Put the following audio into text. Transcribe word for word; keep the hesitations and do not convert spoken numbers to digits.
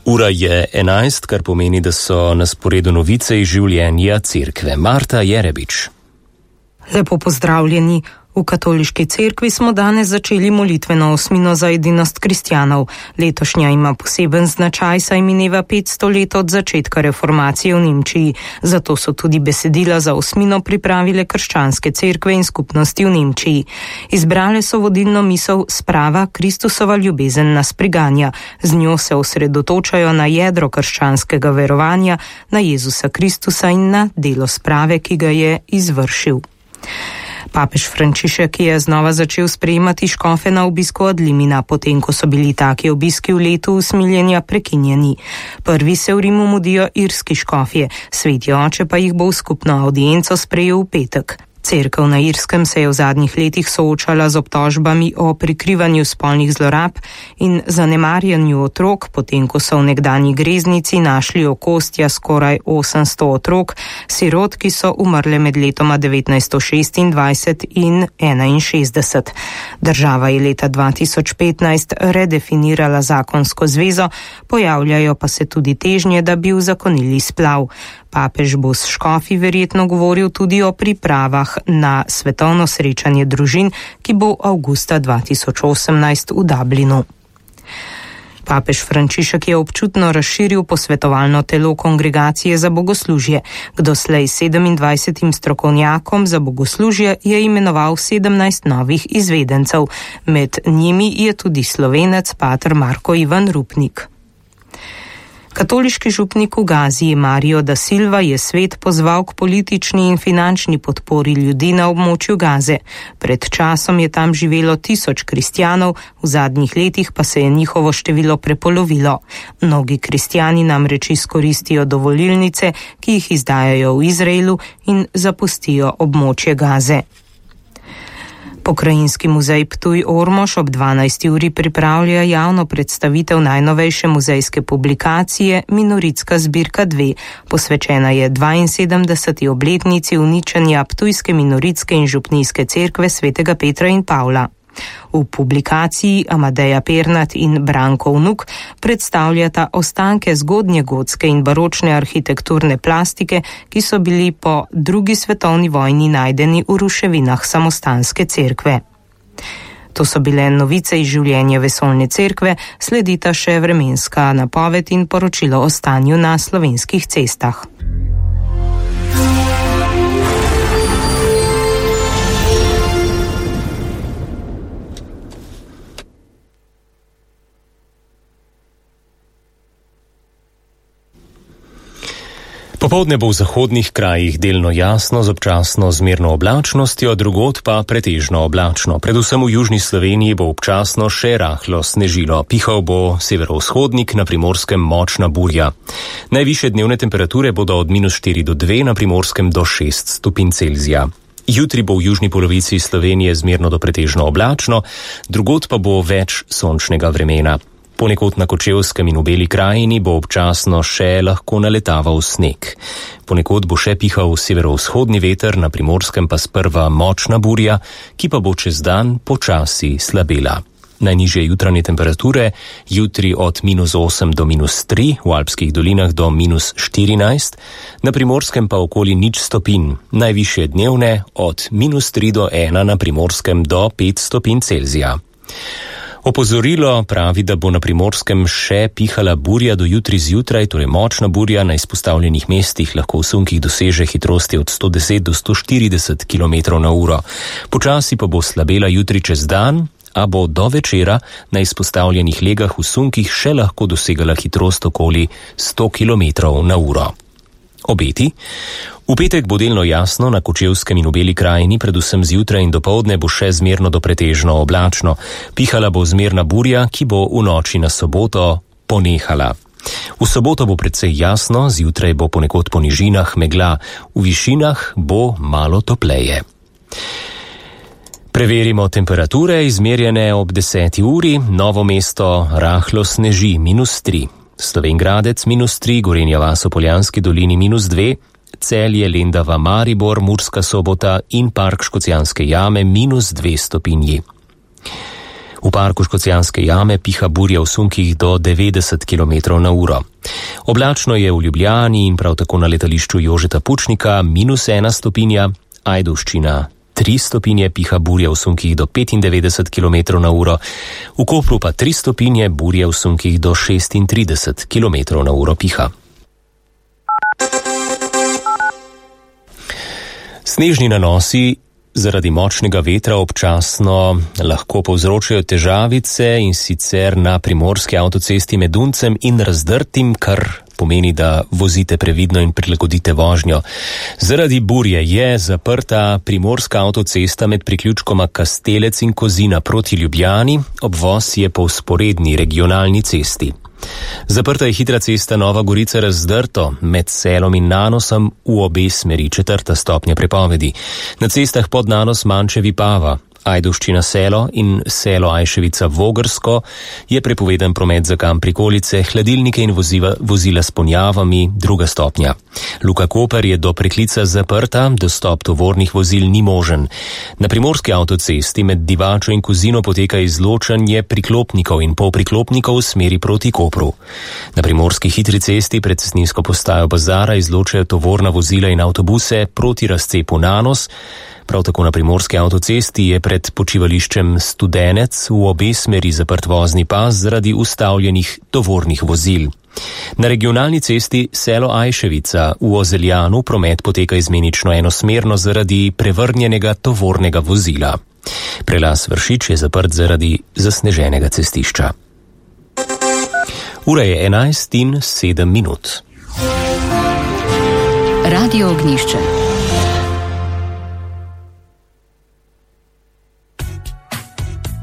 Ura je enajst, kar pomeni, da so na sporedu novice iz življenja cerkve. Marta Jerebič. Lepo pozdravljeni. V katoliški cerkvi smo danes začeli molitveno osmino za edinost kristjanov. Letošnja ima poseben značaj, saj mineva petsto let od začetka reformacije v Nemčiji. Zato so tudi besedila za osmino pripravile krščanske cerkve in skupnosti v Nemčiji. Izbrale so vodilno misel Sprava, Kristusova ljubezen nas priganja. Z njo se osredotočajo na jedro krščanskega verovanja, na Jezusa Kristusa in na delo sprave, ki ga je izvršil. Papež Frančišek je znova začel sprejemati škofe na obisku od Limina, potem ko so bili taki obiski v letu usmiljenja prekinjeni. Prvi se v Rimu mudijo irski škofje, sveti oče pa jih bo v skupno audienco sprejel v petek. Cerkev na Irskem se je v zadnjih letih soočala z obtožbami o prikrivanju spolnih zlorab in zanemarjanju otrok, potem ko so v nekdanji greznici našli okostja skoraj osemsto otrok, sirot, ki so umrle med letoma devetnajststo šestindvajset in enainšestdeset. Država je leta dva tisoč petnajst redefinirala zakonsko zvezo, pojavljajo pa se tudi težnje, da bi uzakonili splav. Papež bo s škofi verjetno govoril tudi o pripravah na svetovno srečanje družin, ki bo avgusta dva tisoč osemnajst v Dublinu. Papež Frančišek je občutno razširil posvetovalno telo Kongregacije za bogoslužje. K doslej sedemindvajsetim strokovnjakom za bogoslužje je imenoval sedemnajst novih izvedencev. Med njimi je tudi Slovenec pater Marko Ivan Rupnik. Katoliški župnik v Gaziji Mario da Silva je svet pozval k politični in finančni podpori ljudi na območju Gaze. Pred časom je tam živelo tisoč kristjanov, v zadnjih letih pa se je njihovo število prepolovilo. Mnogi kristjani namreč izkoristijo dovolilnice, ki jih izdajajo v Izraelu in zapustijo območje Gaze. Pokrajinski muzej Ptuj Ormož ob dvanajsti uri pripravlja javno predstavitev najnovejše muzejske publikacije Minoritska zbirka dve. Posvečena je dvainsedemdeseti obletnici uničenja ptujske minoritske in župnijske cerkve svetega Petra in Pavla. V publikaciji Amadeja Pernat in Branko Vnuk predstavljata ostanke zgodnjegotske in baročne arhitekturne plastike, ki so bili po drugi svetovni vojni najdeni v ruševinah samostanske cerkve. To so bile novice iz življenja vesoljne cerkve, sledita še vremenska napoved in poročilo o stanju na slovenskih cestah. Popoldne bo v zahodnih krajih delno jasno z občasno zmerno oblačnostjo, drugod pa pretežno oblačno. Predvsem v južni Sloveniji bo občasno še rahlo snežilo. Pihal bo severovzhodnik, na Primorskem močna burja. Najvišje dnevne temperature bodo od minus štiri do dve, na Primorskem do šest stopinj Celzija. Jutri bo v južni polovici Slovenije zmerno do pretežno oblačno, drugod pa bo več sončnega vremena. Ponekod na Kočevskem in v Beli krajini bo občasno še lahko naletaval sneg. Ponekod bo še pihal severovzhodni veter, na Primorskem pa sprva močna burja, ki pa bo čez dan počasi slabela. Najnižje jutranje temperature jutri od minus osem do minus tri, v alpskih dolinah do minus štirinajst, na Primorskem pa okoli nič stopinj, najvišje dnevne od minus tri do ena, na Primorskem do pet stopinj Celzija. Opozorilo pravi, da bo na Primorskem še pihala burja do jutri zjutraj, torej močna burja na izpostavljenih mestih lahko v sunkih doseže hitrosti od sto deset do sto štirideset kilometrov na uro. Počasi pa bo slabela jutri čez dan, a bo do večera na izpostavljenih legah v sunkih še lahko dosegala hitrost okoli sto kilometrov na uro. Obeti. V petek bo delno jasno, na Kočevskem in v Beli krajini, predvsem zjutraj in dopoldne bo še zmerno do pretežno oblačno. Pihala bo zmerna burja, ki bo v noči na soboto ponehala. V soboto bo precej jasno, zjutraj bo ponekod po nižinah megla, v višinah bo malo topleje. Preverimo temperature, izmerjene ob deseti uri. Novo Mesto rahlo sneži, minus tri. Slovenj Gradec minus tri, Gorenja vas v Poljanski dolini minus dve, Celje, Lendava, Maribor, Murska Sobota in Park Škocjanske jame minus dve stopinji. V parku Škocjanske jame piha burja v sunkih do devetdeset kilometrov na uro. Oblačno je v Ljubljani in prav tako na letališču Jožeta Pučnika minus ena stopinja, Ajdovščina tri stopinje, piha burja v sunkih do petindevetdeset kilometrov na uro, v Kopru pa tri stopinje, burja v sunkih do šestintrideset kilometrov na uro piha. Snežni nanosi zaradi močnega vetra občasno lahko povzročajo težavice, in sicer na primorski avtocesti med Duncem in Razdrtim, kar pomeni, da vozite previdno in prilagodite vožnjo. Zaradi burje je zaprta primorska avtocesta med priključkoma Kastelec in Kozina proti Ljubljani, obvoz je po vzporedni regionalni cesti. Zaprta je hitra cesta Nova Gorica-Razdrto med Selom in Nanosom v obe smeri, četrta stopnja prepovedi. Na cestah pod Nanos Mančevi-Pava, Ajdovščina Selo in Selo Ajševica-Vogrsko je prepovedan promet za kam prikolice, hladilnike in vozila, vozila s ponjavami, druga stopnja. Luka Koper je do preklica zaprta, dostop tovornih vozil ni možen. Na primorski avtocesti med Divačo in Kozino poteka izločanje priklopnikov in polpriklopnikov v smeri proti Kopru. Na primorski hitri cesti pred cestninsko postajo Bazara izločajo tovorna vozila in avtobuse proti razcepu Nanos. Prav tako na primorski avtocesti je pred počivališčem Studenec v obe smeri zaprt vozni pas zaradi ustavljenih tovornih vozil. Na regionalni cesti Selo Ajševica v Ozeljanu promet poteka izmenično enosmerno zaradi prevrnjenega tovornega vozila. Prelaz Vršič je zaprt zaradi zasneženega cestišča. Ura je enajst in sedem minut. Radio Ognjišče.